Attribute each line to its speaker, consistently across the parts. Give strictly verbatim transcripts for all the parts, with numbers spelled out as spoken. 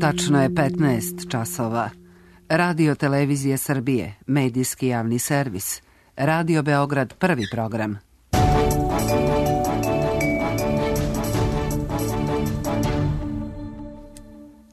Speaker 1: Tačno je petnaest časova. Radio Televizije Srbije, medijski javni servis. Radio Beograd, prvi program.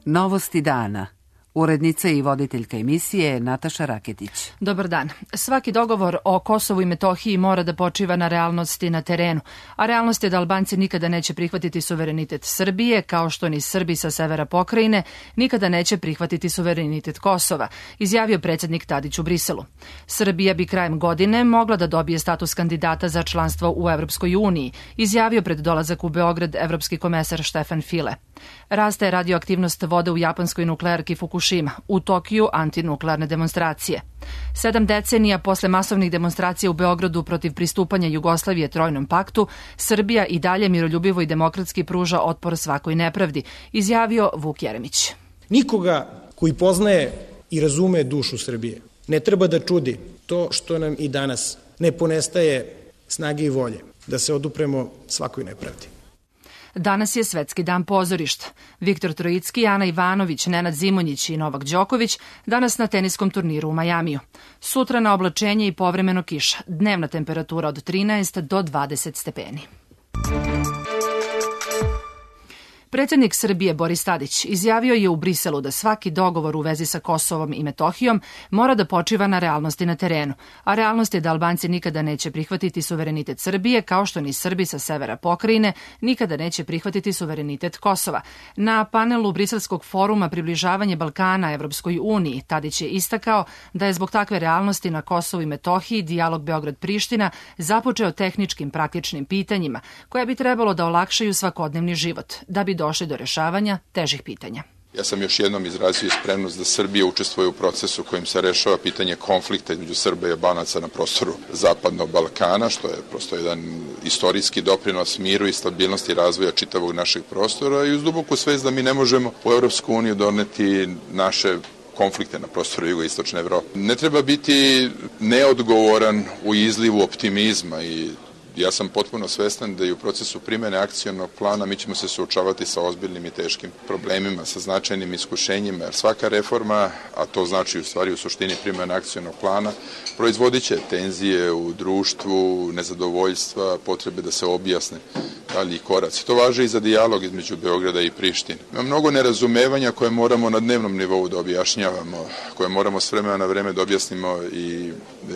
Speaker 1: Novosti dana. Urednica i voditeljka emisije Nataša Raketić.
Speaker 2: Dobar dan. Svaki dogovor o Kosovu i Metohiji mora da počiva na realnosti na terenu, a realnost je da Albanci nikada neće prihvatiti suverenitet Srbije, kao što ni Srbi sa severa pokrajine nikada neće prihvatiti suverenitet Kosova, izjavio predsjednik Tadić u Briselu. Srbija bi krajem godine mogla da dobije status kandidata za članstvo u Evropskoj uniji, izjavio pred dolazak u Beograd evropski komesar Štefan File. Raste radioaktivnost vode u japanskoj nuklearki Fukushima, u Tokiju antinuklearne demonstracije. Sedam decenija posle masovnih demonstracija u Beogradu protiv pristupanja Jugoslavije Trojnom paktu, Srbija i dalje miroljubivo i demokratski pruža otpor svakoj nepravdi, izjavio Vuk Jeremić.
Speaker 3: Nikoga koji poznaje i razume dušu Srbije ne treba da čudi to što nam i danas ne ponestaje snage i volje da se odupremo svakoj nepravdi.
Speaker 2: Danas je Svetski dan pozorišta. Viktor Trojicki, Ana Ivanović, Nenad Zimonjić i Novak Đoković danas na teniskom turniru u Majamiju. Sutra na oblačenje i povremeno kiša. Dnevna temperatura od trinaest do dvadeset stepeni. Predsjednik Srbije Boris Tadić izjavio je u Briselu da svaki dogovor u vezi sa Kosovom i Metohijom mora da počiva na realnosti na terenu, a realnost je da Albanci nikada neće prihvatiti suverenitet Srbije, kao što ni Srbi sa severa pokrajine nikada neće prihvatiti suverenitet Kosova. Na panelu Briselskog foruma Približavanje Balkana Evropskoj uniji Tadić je istakao da je zbog takve realnosti na Kosovu i Metohiji dijalog Beograd-Priština započeo tehničkim praktičnim pitanjima koja bi trebalo da olakšaju svakodnevni život, da bi došli do rešavanja težih pitanja.
Speaker 4: Ja sam još jednom izrazio spremnost da Srbija učestvuje u procesu kojim se rešava pitanje konflikta između Srba i Albanaca na prostoru Zapadnog Balkana, što je prosto jedan istorijski doprinos miru i stabilnosti razvoja čitavog našeg prostora i uz duboku svest da mi ne možemo u Evropsku uniju doneti naše konflikte na prostoru jugoistočne Evrope. Ne treba biti neodgovoran u izlivu optimizma i ja sam potpuno svestan da i u procesu primjene akcionog plana mi ćemo se suočavati sa ozbiljnim i teškim problemima, sa značajnim iskušenjima, jer svaka reforma, a to znači u stvari u suštini primjene akcionog plana, proizvodit će tenzije u društvu, nezadovoljstva, potrebe da se objasne dalji koraci. To važi i za dijalog između Beograda i Prištine. Ima mnogo nerazumevanja koje moramo na dnevnom nivou da objašnjavamo, koje moramo s vremena na vreme da objasnimo i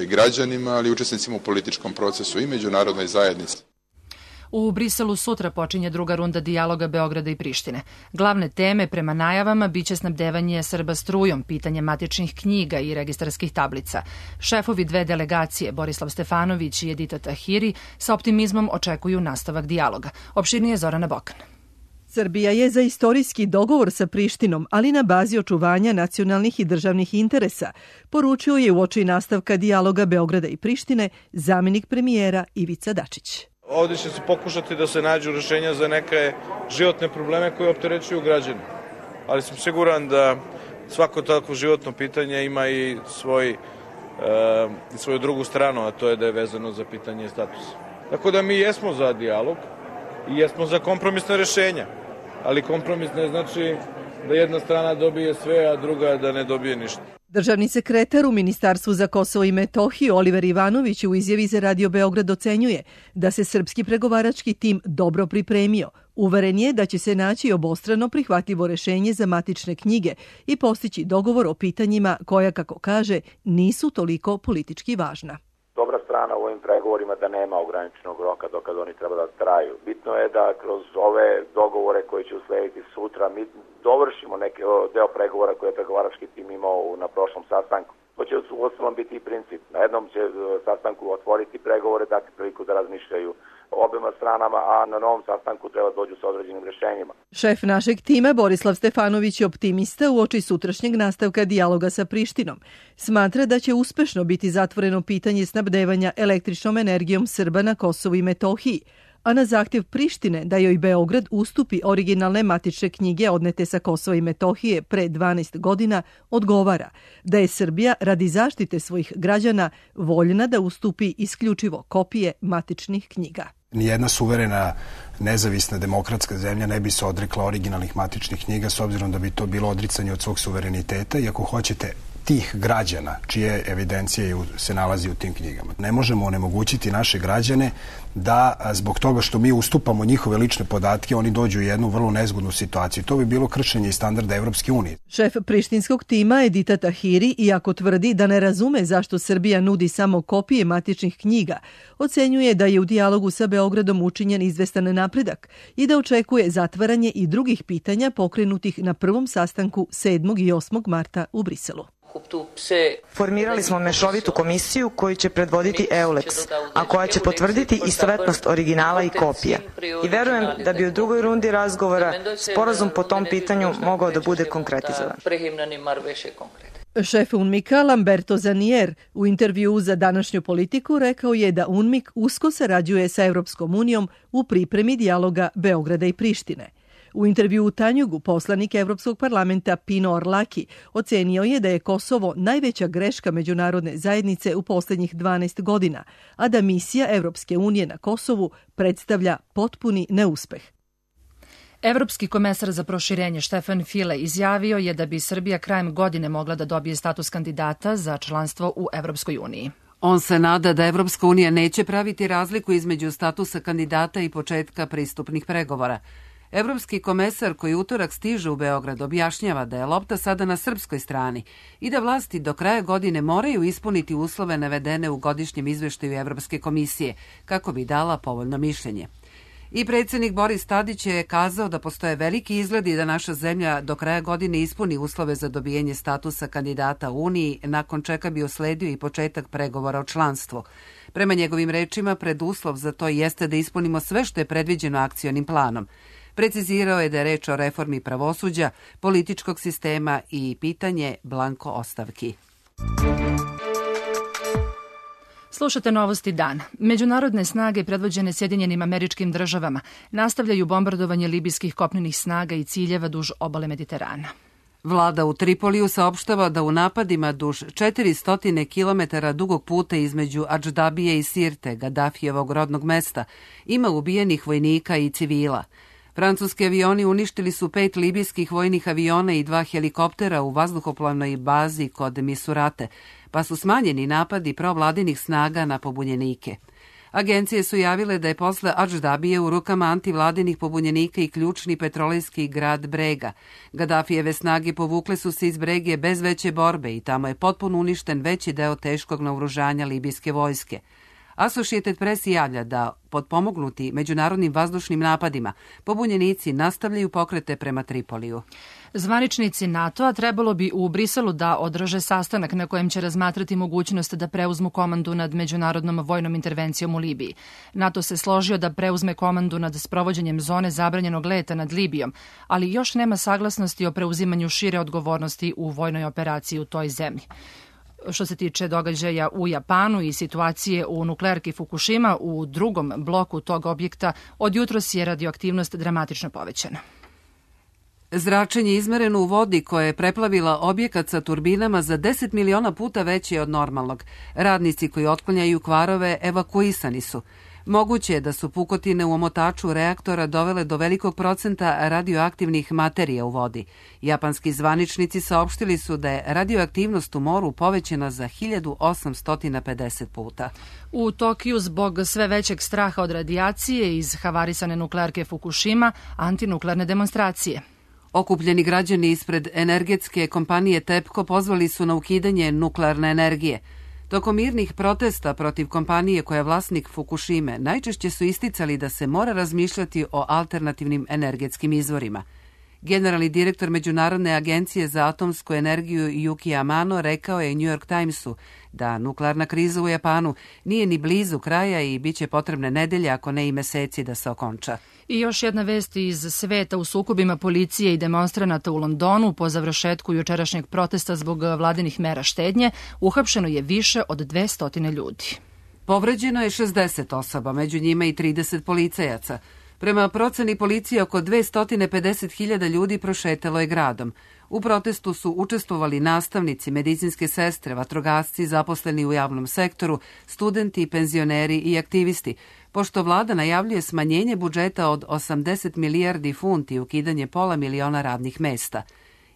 Speaker 4: građanima, ali i učesnicima u političkom procesu i međunarodnoj zajednici.
Speaker 2: U Briselu sutra počinje druga runda dijaloga Beograda i Prištine. Glavne teme prema najavama biće snabdevanje Srba strujom, pitanje matičnih knjiga i registarskih tablica. Šefovi dve delegacije, Borislav Stefanović i Edita Tahiri, sa optimizmom očekuju nastavak dijaloga. Opširnije Zorana Bokan.
Speaker 5: Srbija je za istorijski dogovor sa Prištinom, ali na bazi očuvanja nacionalnih i državnih interesa, poručio je uoči nastavka dijaloga Beograda i Prištine zamjenik premijera Ivica Dačić.
Speaker 6: Ovdje će se pokušati da se nađu rješenja za neke životne probleme koje opterećuju građane. Ali sam siguran da svako takvo životno pitanje ima i svoj, e, svoju drugu stranu, a to je da je vezano za pitanje statusa. Tako da mi jesmo za dijalog i jesmo za kompromisne rješenja. Ali kompromis ne znači da jedna strana dobije sve, a druga da ne dobije ništa.
Speaker 5: Državni sekretar u Ministarstvu za Kosovo i Metohiju Oliver Ivanović u izjavi za Radio Beograd ocenjuje da se srpski pregovarački tim dobro pripremio. Uveren je da će se naći obostrano prihvatljivo rešenje za matične knjige i postići dogovor o pitanjima koja, kako kaže, nisu toliko politički važna.
Speaker 7: Dobra strana u ovim pregovorima da nema ograničenog roka dokad oni treba da traju. Bitno je da kroz ove dogovore koji će uslediti sutra mi dovršimo neki deo pregovora koje je pregovarački tim imao na prošlom sastanku. To će u ostalom biti i princip. Na jednom će sastanku otvoriti pregovore, dati priliku da razmišljaju obema stranama, a na novom sastanku treba dođu sa određenim rješenjima.
Speaker 5: Šef našeg tima Borislav Stefanović je optimista uoči sutrašnjeg nastavka dijaloga sa Prištinom. Smatra da će uspešno biti zatvoreno pitanje snabdevanja električnom energijom Srba na Kosovu i Metohiji, a na zahtjev Prištine da joj Beograd ustupi originalne matične knjige odnete sa Kosova i Metohije pre dvanaest godina, odgovara da je Srbija radi zaštite svojih građana voljna da ustupi isključivo kopije matičnih knjiga.
Speaker 8: Nijedna suverena, nezavisna, demokratska zemlja ne bi se odrekla originalnih matičnih knjiga, s obzirom da bi to bilo odricanje od svog suvereniteta i ako hoćete tih građana čije evidencije se nalazi u tim knjigama. Ne možemo onemogućiti naše građane da zbog toga što mi ustupamo njihove lične podatke, oni dođu u jednu vrlo nezgodnu situaciju. To bi bilo kršenje i standarda Evropske unije.
Speaker 5: Šef prištinskog tima Edita Tahiri, iako tvrdi da ne razume zašto Srbija nudi samo kopije matičnih knjiga, ocenjuje da je u dijalogu sa Beogradom učinjen izvestan napredak i da očekuje zatvaranje i drugih pitanja pokrenutih na prvom sastanku sedmog i osmog marta u Briselu.
Speaker 9: Formirali smo mešovitu komisiju koju će predvoditi EULEX, a koja će potvrditi istovetnost originala i kopija. I verujem da bi u drugoj rundi razgovora sporazum po tom pitanju mogao da bude konkretizovan.
Speaker 5: Šef UNMIK-a Lamberto Zanier u intervjuu za današnju Politiku rekao je da UNMIK usko sarađuje sa Evropskom unijom u pripremi dijaloga Beograda i Prištine. U intervjuu u Tanjugu poslanik Evropskog parlamenta Pino Orlaki ocenio je da je Kosovo najveća greška međunarodne zajednice u posljednjih dvanaest godina, a da misija Evropske unije na Kosovu predstavlja potpuni neuspeh.
Speaker 2: Evropski komesar za proširenje Štefan File izjavio je da bi Srbija krajem godine mogla da dobije status kandidata za članstvo u Evropskoj uniji.
Speaker 1: On se nada da Evropska unija neće praviti razliku između statusa kandidata i početka pristupnih pregovora. Evropski komesar koji utorak stiže u Beograd objašnjava da je lopta sada na srpskoj strani i da vlasti do kraja godine moraju ispuniti uslove navedene u godišnjem izveštaju Evropske komisije kako bi dala povoljno mišljenje. I predsjednik Boris Tadić je kazao da postoje veliki izgledi da naša zemlja do kraja godine ispuni uslove za dobijanje statusa kandidata u Uniji, nakon čega bi usledio i početak pregovora o članstvu. Prema njegovim rečima, preduslov za to jeste da ispunimo sve što je predviđeno akcionim planom. Precizirao je da je reč o reformi pravosuđa, političkog sistema i pitanje blanko ostavki.
Speaker 2: Slušate novosti dana. Međunarodne snage predvođene Sjedinjenim Američkim Državama nastavljaju bombardovanje libijskih kopnenih snaga i ciljeva duž obale Mediterana.
Speaker 1: Vlada u Tripoliju saopštava da u napadima duž četiristo kilometara dugog puta između Adždabije i Sirte, Gadafijevog rodnog mesta, ima ubijenih vojnika i civila. Francuski avioni uništili su pet libijskih vojnih aviona i dva helikoptera u vazduhoplovnoj bazi kod Misurate, pa su smanjeni napadi provladinih snaga na pobunjenike. Agencije su javile da je posle Adždabije u rukama antivladinih pobunjenika i ključni petrolejski grad Brega. Gadafijeve snage povukle su se iz Brege bez veće borbe i tamo je potpuno uništen veći deo teškog naoružanja libijske vojske. Associated Press javlja da, potpomognuti međunarodnim vazdušnim napadima, pobunjenici nastavljaju pokrete prema Tripoliju.
Speaker 2: Zvaničnici NATO-a trebalo bi u Briselu da održe sastanak na kojem će razmatrati mogućnost da preuzmu komandu nad međunarodnom vojnom intervencijom u Libiji. NATO se složio da preuzme komandu nad sprovođenjem zone zabranjenog leta nad Libijom, ali još nema saglasnosti o preuzimanju šire odgovornosti u vojnoj operaciji u toj zemlji. Što se tiče događaja u Japanu i situacije u nuklearki Fukushima, u drugom bloku tog objekta od jutros je radioaktivnost dramatično povećana.
Speaker 1: Zračenje izmereno u vodi koja je preplavila objekat sa turbinama za deset miliona puta veće od normalnog. Radnici koji otklanjaju kvarove evakuisani su. Moguće je da su pukotine u omotaču reaktora dovele do velikog procenta radioaktivnih materija u vodi. Japanski zvaničnici saopštili su da je radioaktivnost u moru povećana za hiljadu osamsto pedeset puta.
Speaker 2: U Tokiju zbog sve većeg straha od radijacije iz havarisane nuklearke Fukushima, antinuklearne demonstracije.
Speaker 1: Okupljeni građani ispred energetske kompanije TEPCO pozvali su na ukidanje nuklearne energije. Tokom mirnih protesta protiv kompanije koja je vlasnik Fukushime, najčešće su isticali da se mora razmišljati o alternativnim energetskim izvorima. Generalni direktor Međunarodne agencije za atomsku energiju Yuki Amano rekao je New York Timesu da nuklearna kriza u Japanu nije ni blizu kraja i bit će potrebne nedelje, ako ne i meseci, da se okonča.
Speaker 2: I još jedna vest iz sveta. U sukobima policije i demonstranata u Londonu po završetku jučerašnjeg protesta zbog vladinih mera štednje uhapšeno je više od dvesta ljudi.
Speaker 1: Povređeno je šezdeset osoba, među njima i trideset policajaca. Prema proceni policije, oko dvesta pedeset hiljada ljudi prošetalo je gradom. U protestu su učestvovali nastavnici, medicinske sestre, vatrogasci, zaposleni u javnom sektoru, studenti, penzioneri i aktivisti, pošto vlada najavljuje smanjenje budžeta od osamdeset milijardi funti i ukidanje pola miliona radnih mesta.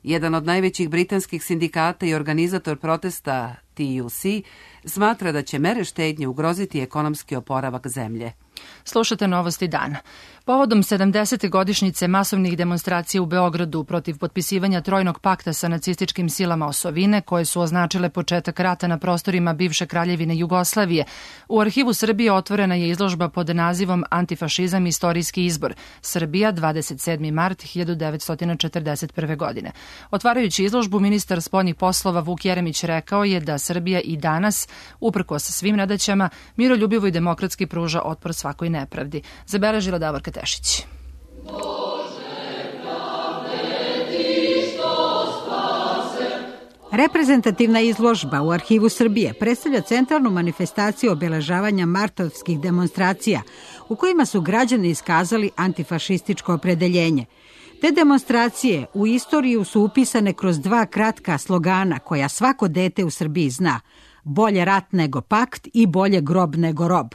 Speaker 1: Jedan od najvećih britanskih sindikata i organizator protesta T U C smatra da će mere štednje ugroziti ekonomski oporavak zemlje.
Speaker 2: Slušate Novosti dana. Povodom sedamdesete godišnjice masovnih demonstracija u Beogradu protiv potpisivanja trojnog pakta sa nacističkim silama osovine, koje su označile početak rata na prostorima bivše kraljevine Jugoslavije, u Arhivu Srbije otvorena je izložba pod nazivom Antifašizam – istorijski izbor. Srbija, dvadeset sedmi mart hiljadu devetsto četrdeset prve. godine. Otvarajući izložbu, ministar spoljnih poslova Vuk Jeremić rekao je da Srbija i danas, uprkos svim nedaćama, miroljubivo i demokratski pruža otpor svakoj nepravdi. Zabeležila Davorka Tešić.
Speaker 10: Reprezentativna izložba u Arhivu Srbije predstavlja centralnu manifestaciju obeležavanja martovskih demonstracija u kojima su građani iskazali antifašističko opredeljenje. Te demonstracije u istoriju su upisane kroz dva kratka slogana koja svako dete u Srbiji zna: bolje rat nego pakt i bolje grob nego rob.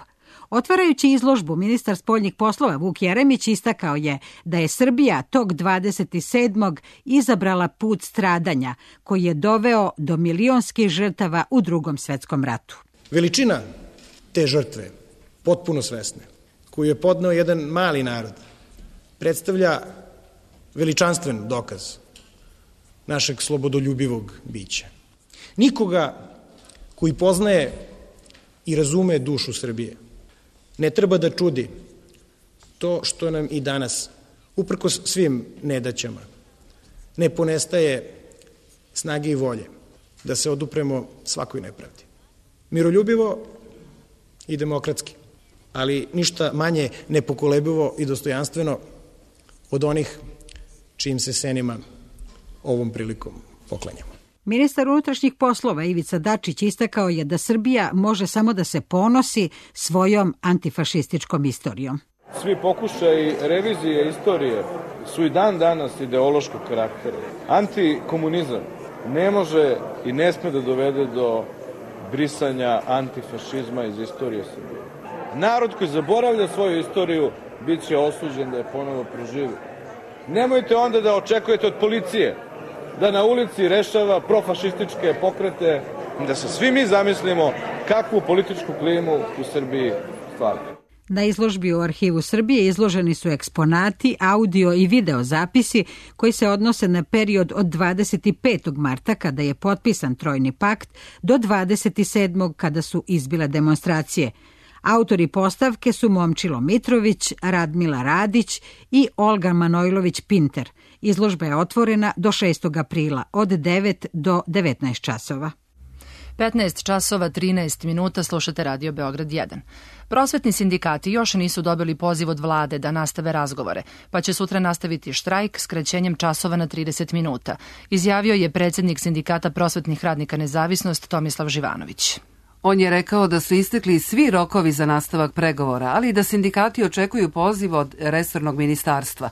Speaker 10: Otvarajući izložbu, ministar spoljnih poslova Vuk Jeremić istakao je da je Srbija tog dvadeset sedmog izabrala put stradanja koji je doveo do milionskih žrtava u Drugom svetskom ratu.
Speaker 3: Veličina te žrtve, potpuno svesne, koju je podneo jedan mali narod, predstavlja veličanstven dokaz našeg slobodoljubivog bića. Nikoga koji poznaje i razume dušu Srbije ne treba da čudi to što nam i danas, uprkos svim nedaćama, ne ponestaje snage i volje da se odupremo svakoj nepravdi. Miroljubivo i demokratski, ali ništa manje nepokolebivo i dostojanstveno od onih čijim se senima ovom prilikom poklanjamo.
Speaker 10: Ministar unutrašnjih poslova Ivica Dačić istakao je da Srbija može samo da se ponosi svojom antifašističkom istorijom.
Speaker 6: Svi pokušaji revizije istorije su i dan danas ideološkog karaktera. Antikomunizam ne može i ne sme da dovede do brisanja antifašizma iz istorije Srbije. Narod koji zaboravlja svoju istoriju bit će osuđen da je ponovo proživi. Nemojte onda da očekujete od policije da na ulici rešava profašističke pokrete, da se svi mi zamislimo kakvu političku klimu u Srbiji stvaramo.
Speaker 10: Na izložbi u Arhivu Srbije izloženi su eksponati, audio i video zapisi koji se odnose na period od dvadeset petog marta kada je potpisan Trojni pakt do dvadeset sedmog kada su izbile demonstracije. Autori postavke su Momčilo Mitrović, Radmila Radić i Olga Manojlović-Pinter. Izložba je otvorena do šestog aprila od devet do devetnaest časova.
Speaker 2: petnaest časova trinaest minuta, slušate Radio Beograd jedan. Prosvetni sindikati još nisu dobili poziv od vlade da nastave razgovore, pa će sutra nastaviti štrajk skraćenjem časova na trideset minuta, izjavio je predsjednik Sindikata prosvetnih radnika Nezavisnost Tomislav Živanović.
Speaker 1: On je rekao da su istekli svi rokovi za nastavak pregovora, ali i da sindikati očekuju poziv od resornog ministarstva.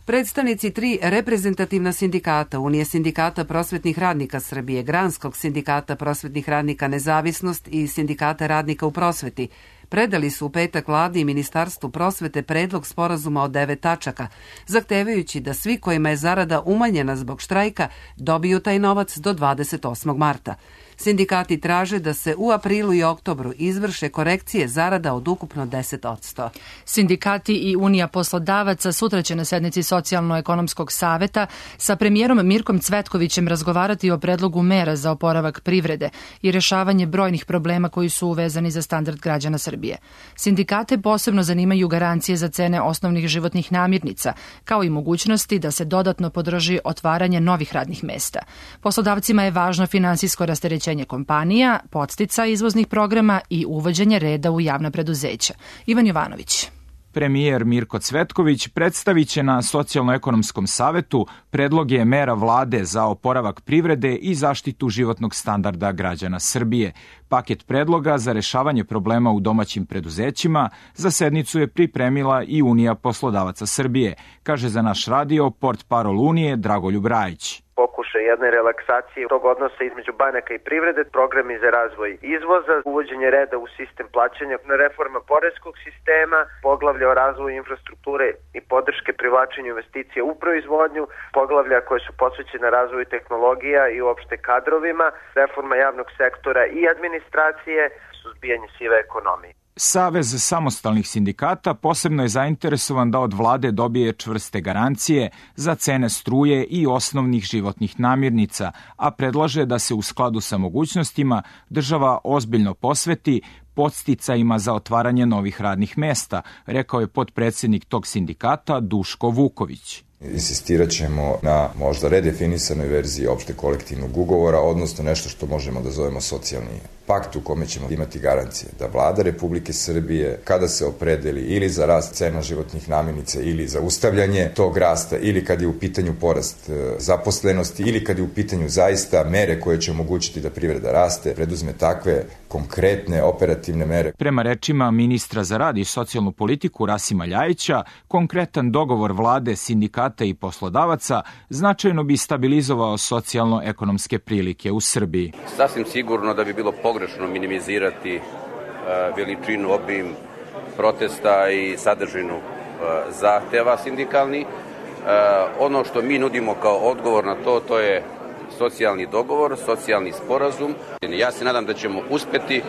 Speaker 1: Predstavnici tri reprezentativna sindikata, Unije sindikata prosvetnih radnika Srbije, Granskog sindikata prosvetnih radnika Nezavisnost i Sindikata radnika u prosveti, predali su u petak vladi i Ministarstvu prosvete predlog sporazuma od devet tačaka, zahtevajući da svi kojima je zarada umanjena zbog štrajka dobiju taj novac do dvadeset osmog marta. Sindikati traže da se u aprilu i oktobru izvrše korekcije zarada od ukupno deset posto.
Speaker 2: Sindikati i Unija poslodavaca sutra će na sednici Socijalno-ekonomskog saveta sa premijerom Mirkom Cvetkovićem razgovarati o predlogu mera za oporavak privrede i rešavanje brojnih problema koji su uvezani za standard građana Srbije. Sindikate posebno zanimaju garancije za cene osnovnih životnih namirnica, kao i mogućnosti da se dodatno podrži otvaranje novih radnih mesta. Poslodavcima je važno finansijsko rasterećenje kompanija, podstica izvoznih programa i uvođenje reda u javna preduzeća. Ivan Jovanović.
Speaker 11: Premijer Mirko Cvetković predstavit će na Socijalno-ekonomskom savetu predloge mera vlade za oporavak privrede i zaštitu životnog standarda građana Srbije. Paket predloga za rešavanje problema u domaćim preduzećima za sednicu je pripremila i Unija poslodavaca Srbije, kaže za naš radio portparol Unije Dragoljub Rajić.
Speaker 12: Pokušaj jedne relaksacije tog odnosa između banaka i privrede, programi za razvoj izvoza, uvođenje reda u sistem plaćanja, reforma poreskog sistema, poglavlja o razvoju infrastrukture i podrške privlačenju investicija u proizvodnju, poglavlja koje su posvećene razvoju tehnologija i uopšte kadrovima, reforma javnog sektora i administracije, suzbijanje sive ekonomije.
Speaker 11: Savez samostalnih sindikata posebno je zainteresovan da od vlade dobije čvrste garancije za cene struje i osnovnih životnih namirnica, a predlaže da se u skladu sa mogućnostima država ozbiljno posveti podsticajima za otvaranje novih radnih mesta, rekao je potpredsednik tog sindikata Duško Vuković.
Speaker 13: Insistirat ćemo na možda redefinisanoj verziji opšte kolektivnog ugovora, odnosno nešto što možemo da zovemo socijalni pakt u kome ćemo imati garancije da vlada Republike Srbije, kada se opredeli ili za rast cena životnih namirnica ili za ustavljanje tog rasta, ili kad je u pitanju porast zaposlenosti, ili kad je u pitanju zaista mere koje će omogućiti da privreda raste, preduzme takve konkretne operativne mere.
Speaker 11: Prema rečima ministra za rad i socijalnu politiku Rasima Ljajića, konkretan dogovor vlade, sindikata i poslodavaca značajno bi stabilizovao socijalno-ekonomske prilike u Srbiji.
Speaker 14: Sasvim sigurno da bi bilo pogrešno minimizirati uh, veličinu, obim protesta i sadržinu uh, zahteva sindikalni. Uh, ono što mi nudimo kao odgovor na to, to je socijalni dogovor, socijalni sporazum. Ja se nadam da ćemo uspeti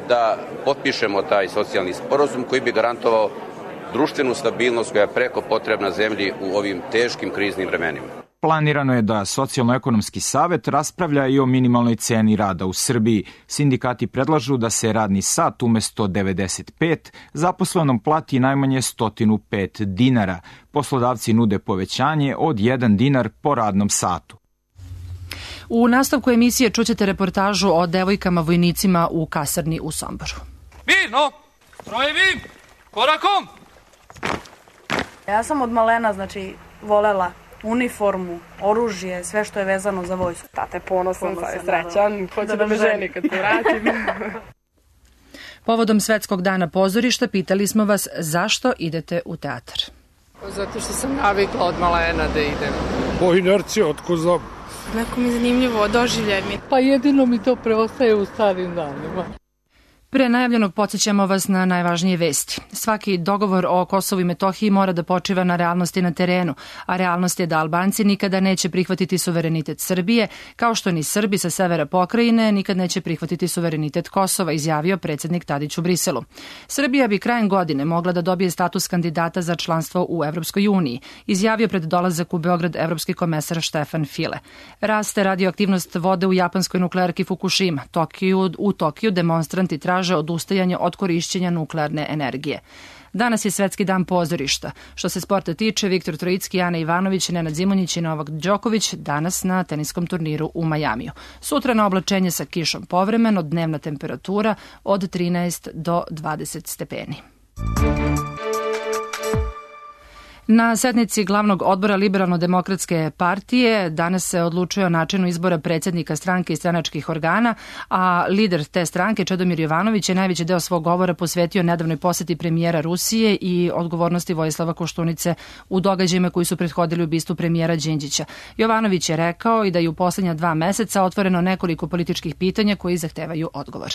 Speaker 14: da potpišemo taj socijalni sporazum koji bi garantovao društvenu stabilnost koja je preko potrebna zemlji u ovim teškim kriznim vremenima.
Speaker 11: Planirano je da Socijalno-ekonomski savet raspravlja i o minimalnoj ceni rada u Srbiji. Sindikati predlažu da se radni sat umesto devedeset pet zaposlenom plati najmanje sto pet dinara. Poslodavci nude povećanje od jedan dinar po radnom satu.
Speaker 2: U nastavku emisije čućete reportažu o devojkama vojnicima u kasarni u Somboru.
Speaker 15: Mirno, strojevi, korakom!
Speaker 16: Ja sam od malena, znači, volela uniformu, oružje, sve što je vezano za vojsku.
Speaker 17: Tate ponosan, sad je srećan, hoće da me ženi kad se vratim.
Speaker 2: Povodom Svetskog dana pozorišta pitali smo vas zašto idete u teatar.
Speaker 17: Zato što sam navikla od malena da idem.
Speaker 18: Po inerciji, otko znam.
Speaker 19: Neko mi je zanimljivo, doživljaj mi.
Speaker 17: Pa jedino mi to preostaje u starim danima.
Speaker 2: Pre najavljenog podsjećamo vas na najvažnije vesti. Svaki dogovor o Kosovu i Metohiji mora da počiva na realnosti na terenu, a realnost je da Albanci nikada neće prihvatiti suverenitet Srbije, kao što ni Srbi sa severa pokrajine nikad neće prihvatiti suverenitet Kosova, izjavio predsednik Tadić u Briselu. Srbija bi krajem godine mogla da dobije status kandidata za članstvo u Evropskoj uniji, izjavio pred dolazak u Beograd evropski komesar Štefan File. Raste radioaktivnost vode u japanskoj nuklearki Fukushima. Tokiju, u Tokiju demonstranti traže odustajanje od korišćenja nuklearne energije. Danas je Svetski dan pozorišta. Što se sporta tiče, Viktor Trojicki, Ana Ivanović, Nenad Zimonjić i Novak Đoković danas na teniskom turniru u Majamiju. Sutra na oblačenje sa kišom povremeno, dnevna temperatura od trinaest do dvadeset stepeni. Na sednici glavnog odbora Liberalno-demokratske partije danas se odlučuje o načinu izbora predsjednika stranke i stranačkih organa, a lider te stranke, Čedomir Jovanović, je najveći deo svog govora posvetio nedavnoj poseti premijera Rusije i odgovornosti Vojislava Koštunice u događajima koji su prethodili ubistvu premijera Đinđića. Jovanović je rekao i da je u poslednja dva meseca otvoreno nekoliko političkih pitanja koji zahtevaju odgovor.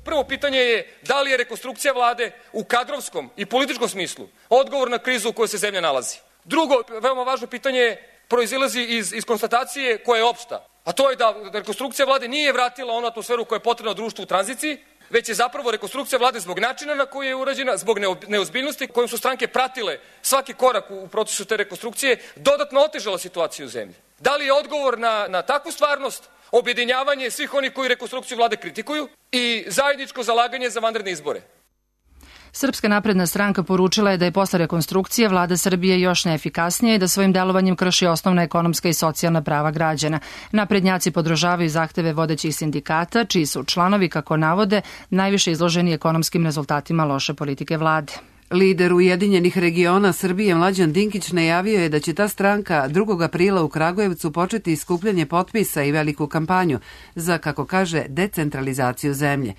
Speaker 15: Prvo pitanje je da li je rekonstrukcija vlade u kadrovskom i političkom smislu odgovor na krizu u kojoj se zemlja nalazi. Drugo, veoma važno pitanje proizilazi iz, iz konstatacije koja je opšta, a to je da rekonstrukcija vlade nije vratila onu atmosferu koja je potrebna društvu u tranziciji, već je zapravo rekonstrukcija vlade zbog načina na koji je urađena, zbog neozbiljnosti kojom su stranke pratile svaki korak u procesu te rekonstrukcije, dodatno otežala situaciju u zemlji. Da li je odgovor na, na takvu stvarnost objedinjavanje svih onih koji rekonstrukciju vlade kritikuju i zajedničko zalaganje za vanredne izbore?
Speaker 2: Srpska napredna stranka poručila je da je posle rekonstrukcije vlada Srbije još neefikasnija i da svojim delovanjem krši osnovna ekonomska i socijalna prava građana. Naprednjaci podržavaju zahteve vodećih sindikata, čiji su članovi, kako navode, najviše izloženi ekonomskim rezultatima loše politike vlade.
Speaker 1: Lider Ujedinjenih regiona Srbije Mlađan Dinkić najavio je da će ta stranka drugog aprila u Kragujevcu početi skupljanje potpisa i veliku kampanju za, kako kaže, decentralizaciju zemlje.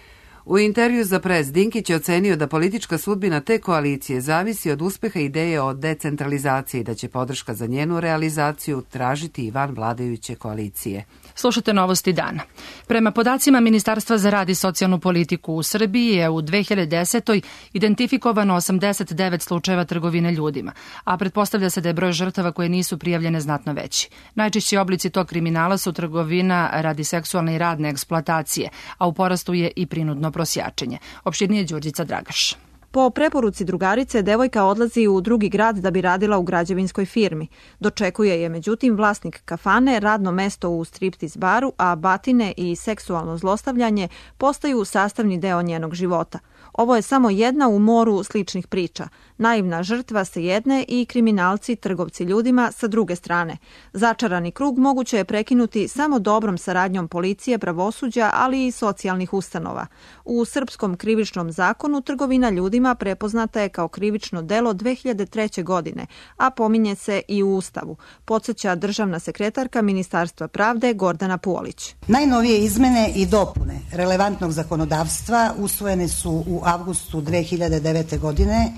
Speaker 1: U intervju za Pres Dinkić je ocenio da politička sudbina te koalicije zavisi od uspeha ideje o decentralizaciji i da će podrška za njenu realizaciju tražiti i van vladajuće koalicije.
Speaker 2: Slušate novosti dana. Prema podacima Ministarstva za rad i socijalnu politiku u Srbiji je u dve hiljade desetoj identifikovano osamdeset devet slučajeva trgovine ljudima, a pretpostavlja se da je broj žrtava koje nisu prijavljene znatno veći. Najčešći oblici tog kriminala su trgovina radi seksualne i radne eksploatacije, a u porastu je i prinudno prosjačenje. Opširnije Đurđica Dragaš.
Speaker 20: Po preporuci drugarice, devojka odlazi u drugi grad da bi radila u građevinskoj firmi. Dočekuje je, međutim, vlasnik kafane, radno mesto u striptiz baru, a batine i seksualno zlostavljanje postaju sastavni deo njenog života. Ovo je samo jedna u moru sličnih priča. Naivna žrtva sa jedne i kriminalci, trgovci ljudima sa druge strane. Začarani krug moguće je prekinuti samo dobrom saradnjom policije, pravosuđa, ali i socijalnih ustanova. U srpskom krivičnom zakonu trgovina ljudima prepoznata je kao krivično delo dve hiljade treće. godine, a pominje se i u Ustavu, podsjeća državna sekretarka Ministarstva pravde Gordana Puolić.
Speaker 21: Najnovije izmene i dopune relevantnog zakonodavstva usvojene su u avgustu dve hiljade devete. godine,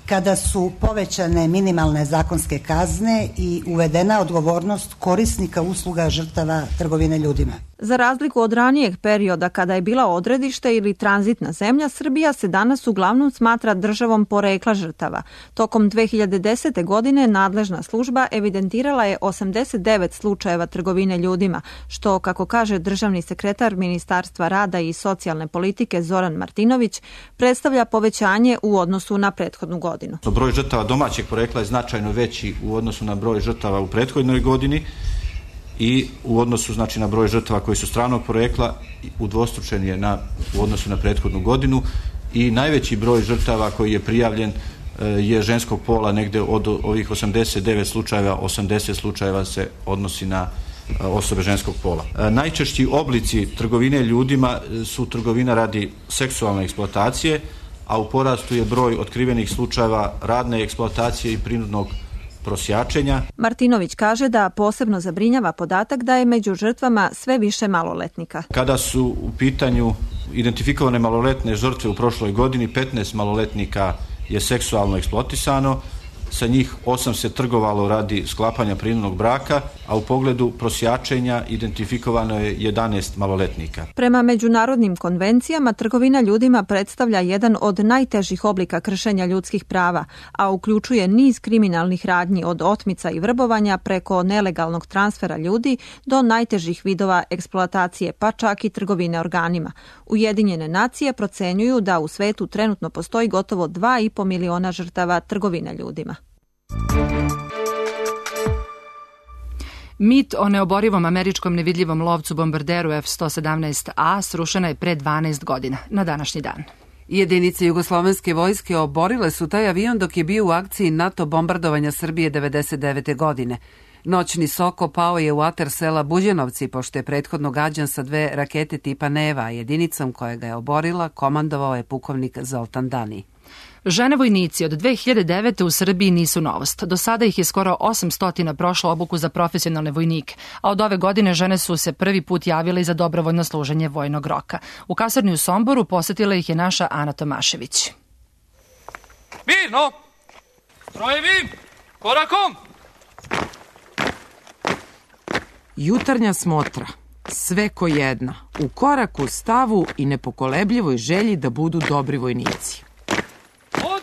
Speaker 21: kada su povećane minimalne zakonske kazne i uvedena odgovornost korisnika usluga žrtava trgovine ljudima.
Speaker 20: Za razliku od ranijeg perioda kada je bila odredište ili tranzitna zemlja, Srbija se danas uglavnom smatra državom porekla žrtava. Tokom dve hiljade desete. godine nadležna služba evidentirala je osamdeset devet slučajeva trgovine ljudima, što, kako kaže državni sekretar Ministarstva rada i socijalne politike Zoran Martinović, predstavlja povećanje u odnosu na prethodnu godinu.
Speaker 22: Broj žrtava domaćeg porekla je značajno veći u odnosu na broj žrtava u prethodnoj godini i u odnosu, znači, na broj žrtava koji su stranog porekla udvostručen je na, u odnosu na prethodnu godinu i najveći broj žrtava koji je prijavljen je ženskog pola, negde od ovih osamdeset devet slučajeva, osamdeset slučajeva se odnosi na osobe ženskog pola. Najčešći oblici trgovine ljudima su trgovina radi seksualne eksploatacije, a u porastu je broj otkrivenih slučajeva radne eksploatacije i prinudnog prosjačenja.
Speaker 20: Martinović kaže da posebno zabrinjava podatak da je među žrtvama sve više maloletnika.
Speaker 22: Kada su u pitanju identifikovane maloletne žrtve u prošloj godini, petnaest maloletnika je seksualno eksploatisano, sa njih osam se trgovalo radi sklapanja prinudnog braka, a u pogledu prosjačenja identifikovano je jedanaest maloletnika.
Speaker 20: Prema međunarodnim konvencijama, trgovina ljudima predstavlja jedan od najtežih oblika kršenja ljudskih prava, a uključuje niz kriminalnih radnji od otmica i vrbovanja preko nelegalnog transfera ljudi do najtežih vidova eksploatacije, pa čak i trgovine organima. Ujedinjene nacije procenjuju da u svetu trenutno postoji gotovo dva i po miliona žrtava trgovine ljudima.
Speaker 2: Mit o neoborivom američkom nevidljivom lovcu bombarderu F sto sedamnaest A srušena je pre dvanaest godina, na današnji dan.
Speaker 1: Jedinice jugoslovenske vojske oborile su taj avion dok je bio u akciji NATO bombardovanja Srbije devedeset devete. godine. Noćni Soko pao je u atar sela Buđenovci, pošto je prethodno gađan sa dve rakete tipa Neva, a jedinicom koja ga je oborila komandovao je pukovnik Zoltan Dani.
Speaker 2: Žene vojnici od dve hiljade devete. u Srbiji nisu novost. Do sada ih je skoro osamsto prošlo obuku za profesionalne vojnike, a od ove godine žene su se prvi put javile za dobrovoljno služenje vojnog roka. U kasarni u Somboru posetila ih je naša Ana Tomašević.
Speaker 15: Mirno! Strojevi! Korakom!
Speaker 23: Jutarnja smotra. Sve ko jedna. U koraku, stavu i nepokolebljivoj želji da budu dobri vojnici.
Speaker 15: Od!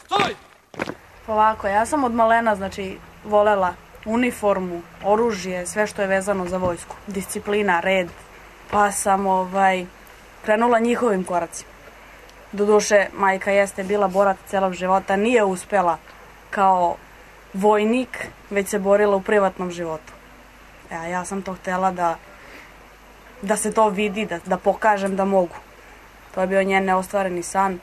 Speaker 15: Stoj!
Speaker 16: Ovako, ja sam od malena, znači, volela uniformu, oružje, sve što je vezano za vojsku. Disciplina, red. Pa sam ovaj, krenula njihovim koracima. Doduše, majka jeste bila borac celog života, nije uspela kao vojnik, već se borila u privatnom životu. Ja, ja sam to htela da, da se to vidi, da, da pokažem da mogu. To je bio njen neostvareni san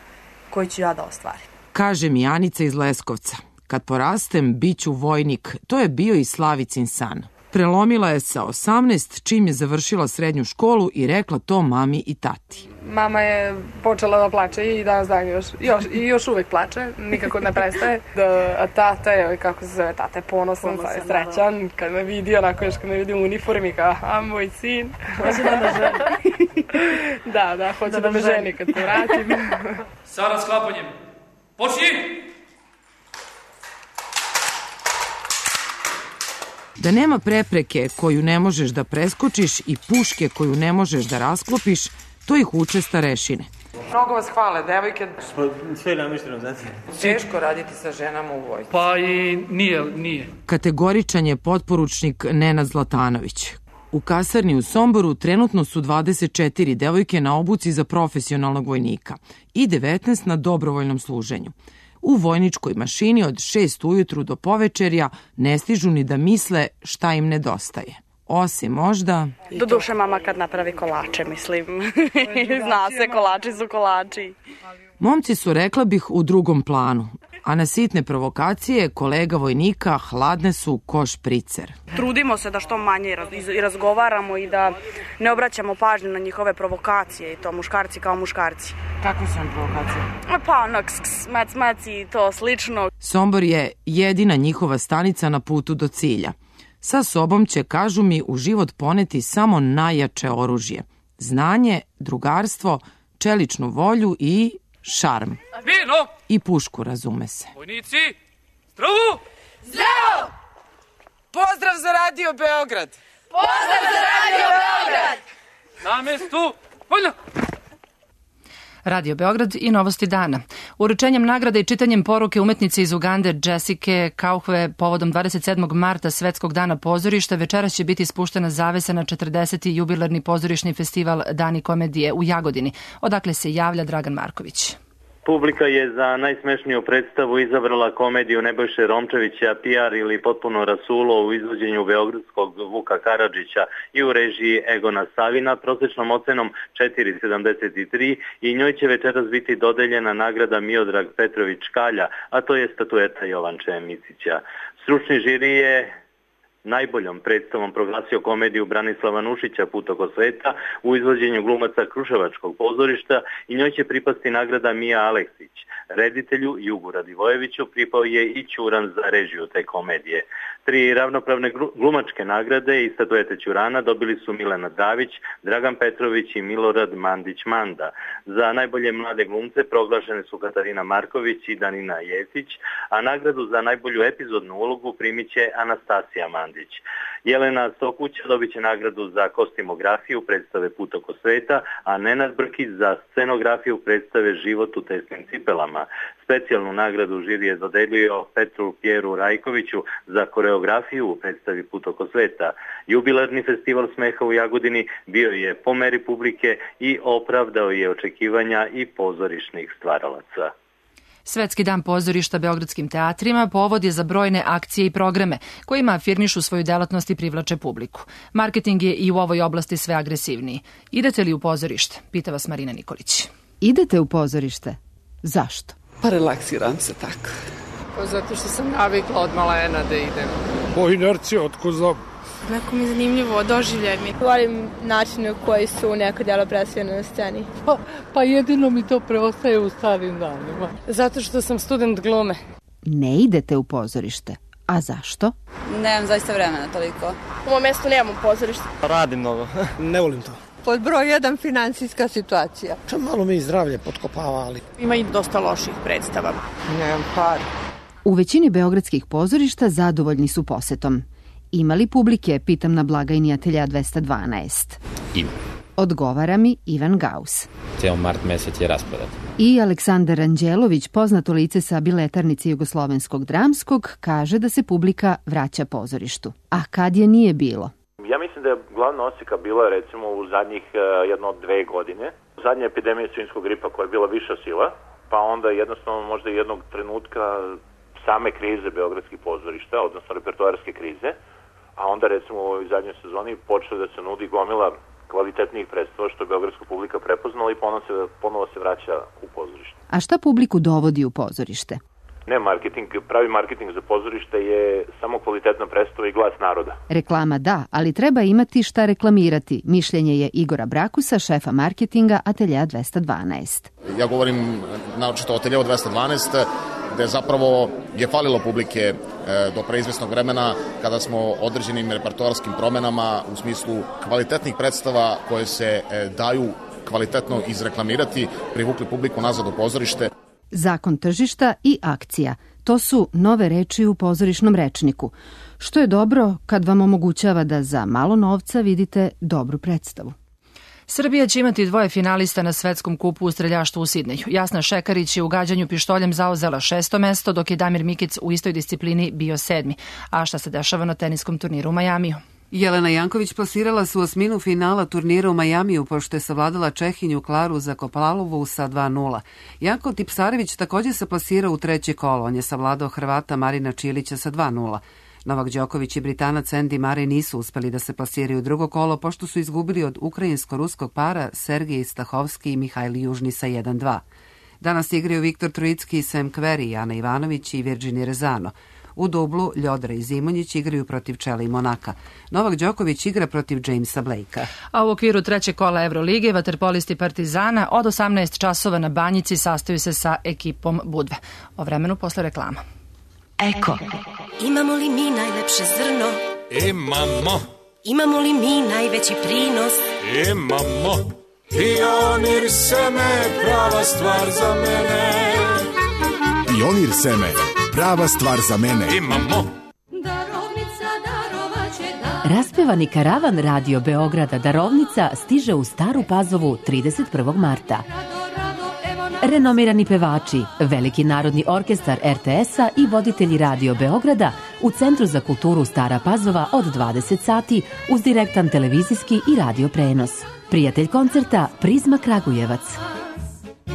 Speaker 16: koji ću ja da ostvarim.
Speaker 23: Kaže mi Anica iz Leskovca. Kad porastem, bit ću vojnik. To je bio i Slavicin san. Prelomila je sa osamnaest čim je završila srednju školu i rekla to mami i tati.
Speaker 17: Mama je počela da plače i danas dan još, još, i još uvek plače, nikako ne prestaje. Da, a tata je, kako se zove, tata je ponosan, sad je srećan, kad me vidi, onako još kad me vidi u uniformi, kao, a moj sin.
Speaker 16: Hoće da me ženi.
Speaker 17: Da, da, hoće da, da me ženi kad se vratim.
Speaker 15: Sa rasklapanjem. Počni!
Speaker 23: Da nema prepreke koju ne možeš da preskočiš i puške koju ne možeš da rasklopiš, to ih uče starešine. Mnogo vas hvale, devojke.
Speaker 4: Sve namješteno, znate.
Speaker 23: Teško raditi sa ženama u vojsci.
Speaker 15: Pa i nije, nije.
Speaker 23: Kategoričan je potporučnik Nenad Zlatanović. U kasarni u Somboru trenutno su dvadeset četiri devojke na obuci za profesionalnog vojnika i devetnaest na dobrovoljnom služenju. U vojničkoj mašini od šest ujutru do povečerja ne stižu ni da misle šta im nedostaje. Osim možda...
Speaker 16: Do duše mama kad napravi kolače, mislim. Zna se, kolači su kolači.
Speaker 23: Momci su, rekla bih, u drugom planu, a na sitne provokacije kolega vojnika hladne su ko špricer.
Speaker 16: Trudimo se da što manje i razgovaramo i da ne obraćamo pažnju na njihove provokacije i to muškarci kao muškarci.
Speaker 23: Kakve su vam provokacije?
Speaker 16: Pa ono, ks, ks, mac, mac i to slično.
Speaker 23: Sombor je jedina njihova stanica na putu do cilja. Sa sobom će, kažu mi, u život poneti samo najjače oružje. Znanje, drugarstvo, čeličnu volju i šarm.
Speaker 15: Vino!
Speaker 23: I pušku, razume se.
Speaker 15: Vojnici, zdravo!
Speaker 7: Zdravo!
Speaker 23: Pozdrav za Radio Beograd!
Speaker 7: Pozdrav za Radio Beograd!
Speaker 15: Na mestu, voljno!
Speaker 2: Radio Beograd i novosti dana. Uručenjem nagrada i čitanjem poruke umetnice iz Ugande Jessike Kauhve povodom dvadeset sedmog marta Svetskog dana pozorišta večeras će biti spuštena zavesa na četrdeseti jubilarni pozorišni festival Dani komedije u Jagodini. Odakle se javlja Dragan Marković.
Speaker 4: Publika je za najsmešniju predstavu izabrala komediju Nebojše Romčevića P R ili Potpuno rasulo u izvođenju beogradskog Vuka Karadžića i u režiji Egona Savina prosečnom ocenom četiri zarez sedamdeset tri i njoj će večeras biti dodeljena nagrada Miodrag Petrović Kalja, a to je statueta Jovanče Micića. Stručni žiri je najboljom predstavom proglasio komediju Branislava Nušića Put oko sveta u izvođenju glumaca Kruševačkog pozorišta i njoj će pripasti nagrada Mija Aleksić. Reditelju Jugu Radivojeviću pripao je i Ćuran za režiju te komedije. Tri ravnopravne glumačke nagrade i statuete Ćurana dobili su Milena Davić, Dragan Petrović i Milorad Mandić-Manda. Za najbolje mlade glumce proglašene su Katarina Marković i Danina Jesić, a nagradu za najbolju epizodnu ulogu primit će Anastasija Mandić. Jelena Sokuća dobit će nagradu za kostimografiju predstave Put oko sveta, a Nenad Brkić za scenografiju predstave Život u tesnim cipelama. Specijalnu nagradu žiri je dodelio Petru Pjeru Rajkoviću za koreografiju u predstavi Put oko sveta. Jubilarni festival smeha u Jagodini bio je po meri publike i opravdao je očekivanja i pozorišnih stvaralaca.
Speaker 2: Svetski dan pozorišta beogradskim teatrima povod je za brojne akcije i programe kojima afirmišu svoju delatnost i privlače publiku. Marketing je i u ovoj oblasti sve agresivniji. Idete li u pozorište? Pita vas Marina Nikolić.
Speaker 8: Idete u pozorište? Zašto?
Speaker 24: Pa relaksiram se tako.
Speaker 25: Pa zato što sam navikla od malena da idem.
Speaker 18: Po inerciji, otko znam.
Speaker 19: Neko mi je zanimljivo, doživljaj mi.
Speaker 26: Volim načine koji su neka djela predstavljena na sceni.
Speaker 25: Pa, pa jedino mi to preostaje u starim danima.
Speaker 19: Zato što sam student glume.
Speaker 8: Ne idete u pozorište. A zašto?
Speaker 26: Nemam zaista vremena toliko. U mom mjestu nemam pozorište.
Speaker 4: Radim mnogo.
Speaker 18: Ne volim to.
Speaker 25: Pod broj jedan financijska situacija.
Speaker 18: Ča malo mi zdravlje potkopava, ali...
Speaker 19: Ima i dosta loših predstava.
Speaker 25: Nemam par.
Speaker 8: U većini beogradskih pozorišta zadovoljni su posetom. Ima li publike, pitam na blagajni Atelja dvesta dvanaest.
Speaker 27: Ima.
Speaker 8: Odgovara mi Ivan Gaus.
Speaker 27: Ceo mart mesec je rasprodat.
Speaker 8: I Aleksandar Anđelović, poznato lice sa biletarnice Jugoslovenskog dramskog, kaže da se publika vraća pozorištu. A kad je nije bilo?
Speaker 28: Ja mislim da je glavna oseka bila recimo u zadnjih uh, jedno dve godine. Zadnja epidemija svinjskog gripa koja je bila viša sila, pa onda jednostavno možda jednog trenutka same krize beogradskih pozorišta, odnosno repertoarske krize, a onda recimo u ovoj zadnjoj sezoni počeo da se nudi gomila kvalitetnijih predstava što je beogradska publika prepoznala i ponovo se, ponovo se vraća u pozorište.
Speaker 8: A šta publiku dovodi u pozorište?
Speaker 28: Ne marketing, pravi marketing za pozorište je samo kvalitetna predstava i glas naroda.
Speaker 8: Reklama da, ali treba imati šta reklamirati. Mišljenje je Igora Brakusa, šefa marketinga Ateljea dvesta dvanaest.
Speaker 3: Ja govorim naočito o Ateljeu dvesta dvanaest, gde zapravo je falilo publike do preizvesnog vremena kada smo određenim repertoarskim promenama u smislu kvalitetnih predstava koje se daju kvalitetno izreklamirati, privukli publiku nazad u pozorište.
Speaker 8: Zakon tržišta i akcija. To su nove reči u pozorišnom rečniku, što je dobro kad vam omogućava da za malo novca vidite dobru predstavu.
Speaker 2: Srbija će imati dvoje finalista na svetskom kupu u streljaštvu u Sidneju. Jasna Šekarić je u gađanju pištoljem zauzela šesto mesto, dok je Damir Mikic u istoj disciplini bio sedmi. A šta se dešava na teniskom turniru u Majamiju?
Speaker 1: Jelena Janković plasirala se u osminu finala turnira u Majamiju, pošto je savladala Čehinju Klaru Zakopalovu sa dva nula. Janko Tipsarević također se plasirao u treće kolo. On je savladao Hrvata Marina Čilića sa dva nula. Novak Đoković i Britanac Andy Murray nisu uspeli da se plasiraju u drugo kolo, pošto su izgubili od ukrajinsko-ruskog para Sergej Stahovski i Mihajli Južni sa jedan dva. Danas igraju Viktor Trojicki i Sam Querrey, Ana Ivanović i Virginia Rezano. U dublu Ljodra i Zimonjić igraju protiv Čela i Monaka. Novak Đoković igra protiv Jamesa Blakea.
Speaker 2: A u okviru trećeg kola Evrolige vaterpolisti Partizana od osamnaest časova na Banjici sastaju se sa ekipom Budve. O vremenu posle reklama.
Speaker 5: Eko. Imamo li mi najlepše zrno?
Speaker 6: Imamo.
Speaker 5: Imamo li mi najveći prinos?
Speaker 6: Imamo. Pionir seme, prava stvar za mene.
Speaker 9: Pionir seme, prava stvar za mene.
Speaker 6: Imamo.
Speaker 5: Darovnica darovaće dar.
Speaker 10: Raspevani karavan Radio Beograda Darovnica stiže u Staru Pazovu trideset prvog marta. Renomirani pevači, Veliki narodni orkestar er te es-a i voditelji Radio Beograda u Centru za kulturu Stara Pazova od dvadeset sati uz direktan televizijski i radio prenos. Prijatelj koncerta Prizma Kragujevac.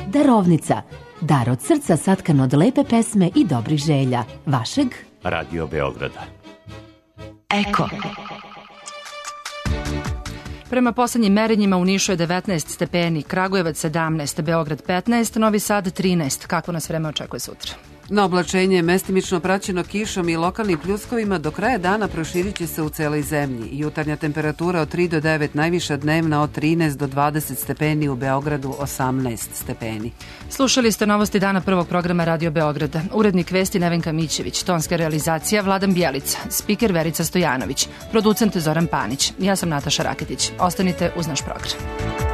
Speaker 10: Darovnica. Dar od srca satkan od lepe pesme i dobrih želja. Vašeg
Speaker 6: Radio Beograda.
Speaker 5: Eko.
Speaker 2: Prema poslednjim merenjima u Nišu je devetnaest stepeni, Kragujevac sedamnaest, Beograd petnaest, Novi Sad trinaest. Kako nas vreme očekuje sutra?
Speaker 1: Na oblačenje mestimično praćeno kišom i lokalnim pljuskovima do kraja dana proširit će se u celoj zemlji. Jutarnja temperatura od tri do devet, najviša dnevna od trinaest do dvadeset stepeni, u Beogradu osamnaest stepeni.
Speaker 2: Slušali ste novosti dana prvog programa Radio Beograda. Urednik vesti Nevenka Mićević, tonska realizacija Vladan Bjelica, spiker Verica Stojanović, producent Zoran Panić. Ja sam Nataša Raketić. Ostanite uz naš program.